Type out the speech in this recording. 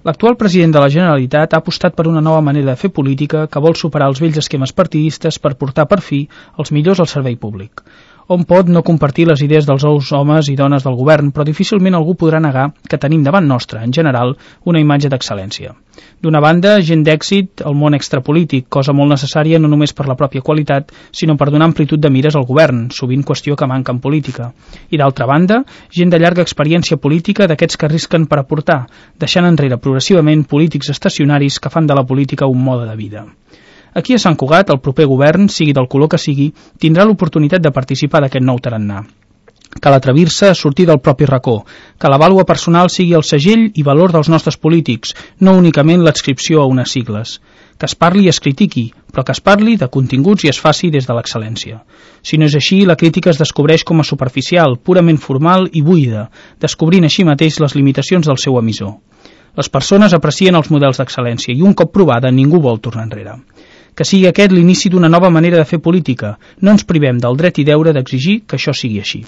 L'actual president de la Generalitat ha apostat per una nova manera de fer política que vol superar els vells esquemes partidistes per portar per fi els millors al servei públic. Hom pot no compartir les idees dels homes i dones del govern, però difícilment algú podrà negar que tenim davant nostre, en general, una imatge d'excel·lència. D'una banda, gent d'èxit al món extrapolític, cosa molt necessària no només per la pròpia qualitat, sinó per donar amplitud de mires al govern, sovint qüestió que manca en política. I d'altra banda, gent de llarga experiència política d'aquests que arrisquen per aportar, deixant enrere progressivament polítics estacionaris que fan de la política un mode de vida. Aquí a Sant Cugat, el proper govern, sigui del color que sigui, tindrà l'oportunitat de participar d'aquest nou tarannà. Cal atrevir-se a sortir del propi racó, que la vàlua personal sigui el segell i valor dels nostres polítics, no únicament l'adscripció a unes sigles. Que es parli i es critiqui, però que es parli de continguts i es faci des de l'excel·lència. Si no és així, la crítica es descobreix com a superficial, purament formal i buida, descobrint així mateix les limitacions del seu emissor. Les persones aprecien els models d'excel·lència i un cop provada ningú vol tornar enrere. Que sigui aquest l'inici d'una nova manera de fer política. No ens privem del dret i deure d'exigir que això sigui així.